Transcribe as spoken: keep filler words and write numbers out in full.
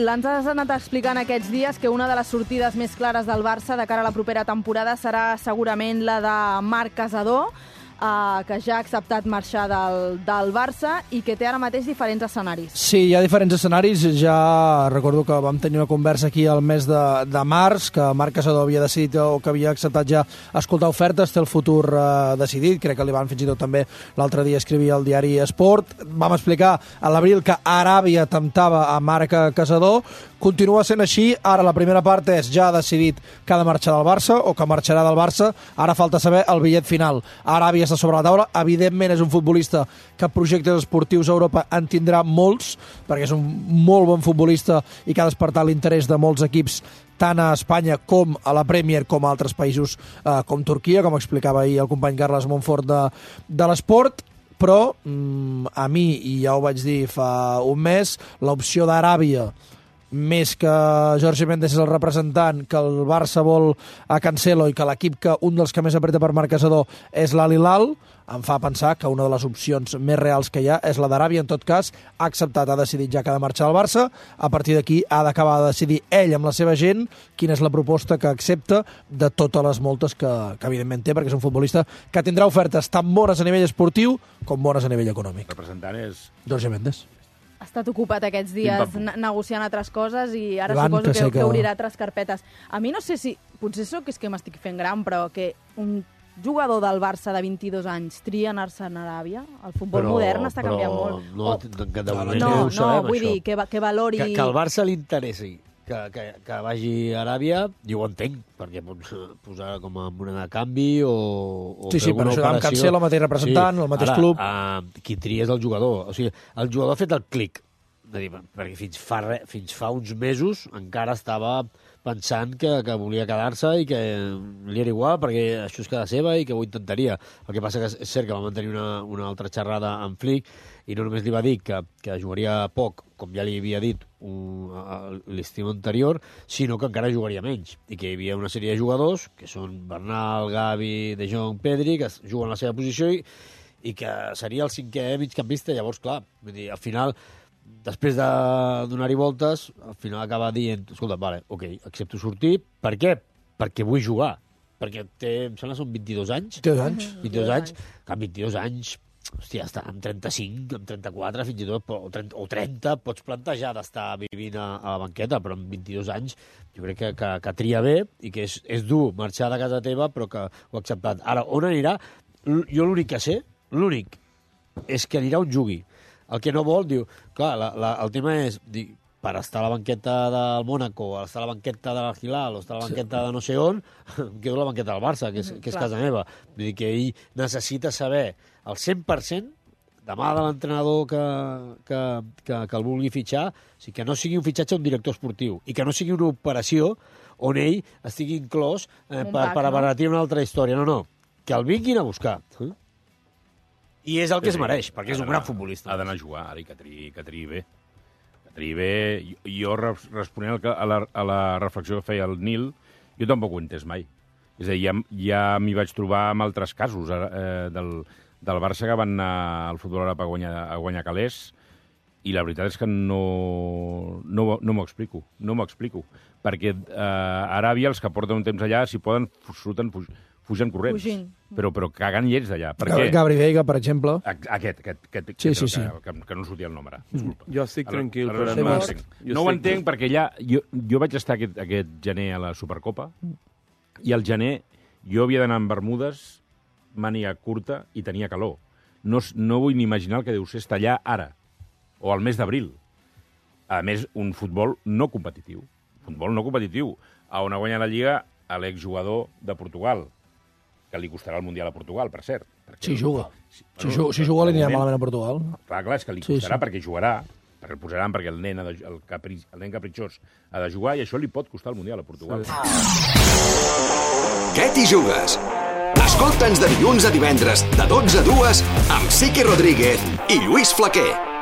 Gil, ens has anat explicant aquests dies que una de les sortides més clares del Barça de cara a la propera temporada serà segurament la de Marc Casadó, Uh, que ja ha acceptat marxar del, del Barça i que té ara mateix diferents escenaris. Sí, hi ha diferents escenaris. Ja recordo que vam tenir una conversa aquí al mes de, de març, que Marc Casadó havia decidit o que havia acceptat ja escoltar ofertes, té el futur uh, decidit. Crec que li van fins i tot també l'altre dia escrivir al diari Esport. Vam explicar a l'abril que Aràbia temptava a Marc Casadó. Continua sent així. Ara la primera part és ja ha decidit que ha de marxar del Barça o que marxarà del Barça. Ara falta saber el bitllet final. Aràbia està sobre la taula. Evidentment és un futbolista que projectes esportius a Europa en tindrà molts, perquè és un molt bon futbolista i que ha despertat l'interès de molts equips tant a Espanya com a la Premier com a altres països eh, com Turquia, com explicava ahir el company Carles Montfort de, de l'Esport. Però mm, a mi, i ja ho vaig dir fa un mes, l'opció d'Aràbia més que Jorge Méndez és el representant, que el Barça vol a Cancelo i que l'equip que un dels que més apreta per Marc Casadó és l'Al Hilal, em fa pensar que una de les opcions més reals que hi ha és la d'Aràbia. En tot cas, ha acceptat, ha decidit ja que ha de marxar al Barça. A partir d'aquí ha d'acabar de decidir ell amb la seva gent quina és la proposta que accepta de totes les moltes que, que evidentment té, perquè és un futbolista que tindrà ofertes tan bones a nivell esportiu com bones a nivell econòmic. El representant és Jorge Méndez. Ha estat ocupat aquests dies negociant altres coses i ara Van, suposo que, que, que... que obrirà altres carpetes. A mi no sé si... Potser sóc és que m'estic fent gran, però que un jugador del Barça de vint-i-dos anys tria anar-se'n a Aràbia? El futbol però, modern està canviant molt. No, oh. que de moment no, no, no, sabem, vull això. dir, que, que valori... Que, que al Barça li interessi que, que, que vagi a Aràbia, jo ho entenc, perquè pots posar com a moneda de canvi o, o sí, sí, per això amb Cancelo, el mateix representant, sí. el mateix Ara, club. Uh, qui tria és el jugador. O sigui, el jugador ha fet el clic. Dir, perquè fins fa, re, fins fa uns mesos encara estava pensant que, que volia quedar-se i que li era igual perquè això és casa seva i que ho intentaria. El que passa que és cert que va mantenir una, una altra xerrada amb Flick i no només li va dir que, que jugaria poc, com ja li havia dit l'estiu anterior, sinó que encara jugaria menys i que hi havia una sèrie de jugadors que són Bernal, Gavi, De Jong, Pedri, que juguen a la seva posició i, i que seria el cinquè migcampista. Llavors, clar, vull dir, al final... Després de donar-hi voltes, al final acaba dient, escolta, vale, ok, accepto sortir. Per què? Perquè vull jugar. Perquè té, em sembla, són vint-i-dos anys. vint-i-dos anys. vint-i-dos anys. Que amb vint-i-dos anys, hòstia, està amb trenta-cinc, amb trenta-quatre, fins i tot, o trenta, o trenta, pots plantejar d'estar vivint a, a la banqueta, però amb vint-i-dos anys jo crec que, que, que tria bé i que és, és dur marxar de casa teva, però que ho ha acceptat. Ara, on anirà? Jo l'únic que sé, l'únic, és que anirà on jugui. El que no vol, diu... Clar, la, la, el tema és, dir, per estar a la banqueta del Mónaco, o estar a la banqueta de l'Hilal, o estar a la banqueta de no sé on, em quedo a la banqueta del Barça, que és, que és casa meva. Vull dir que ell necessita saber el cent per cent demà de l'entrenador que, que, que, que el vulgui fitxar, o sigui, que no sigui un fitxatge d'un director esportiu i que no sigui una operació on ell estigui inclòs eh, per, per abaratir una altra història. No, no, que el vinguin a buscar. Eh? I és el que es mereix, perquè és un gran futbolista. Ha d'anar a jugar, ara, i que triï, que triï bé. Que triï bé. Jo, responent a la, a la reflexió que feia el Nil, jo tampoc ho he entès mai. És a dir, ja, ja m'hi vaig trobar amb altres casos eh, del, del Barça que van anar al futbol Europa a guanyar, a guanyar calés, i la veritat és que no, no, no m'ho explico. No m'ho explico. Perquè eh, a Aràbia, els que porten un temps allà, si poden, surten fugen corrents. Fugint. Però, però cagant llets d'allà. Per què? Gabri Veiga, per exemple. Aquest, aquest, aquest sí, sí, sí. Que, que, que no sortia el nom ara. Disculpa. Jo estic ara, tranquil. ara, Però no no ho entenc, no ho entenc perquè allà... Jo, jo vaig estar aquest, aquest gener a la Supercopa i al gener jo havia d'anar amb bermudes, màniga curta i tenia calor. No, no vull ni imaginar el que deu ser estar allà ara, o al mes d'abril. A més, un futbol no competitiu. Futbol no competitiu. On ha guanyat la Lliga l'exjugador de Portugal, que li costarà el Mundial a Portugal, per cert. Si juga. Si, si, bueno, si juga, li anirà malament a Portugal. Clar, clar, és que li costarà sí, sí. perquè jugarà, perquè el posaran perquè el nen, de, el, capri, el nen capritxós ha de jugar i això li pot costar el Mundial a Portugal. Què t'hi jugues? Escolta'ns de dilluns a divendres, de dotze a dues, amb Siqui Rodríguez i Lluís Flaquer.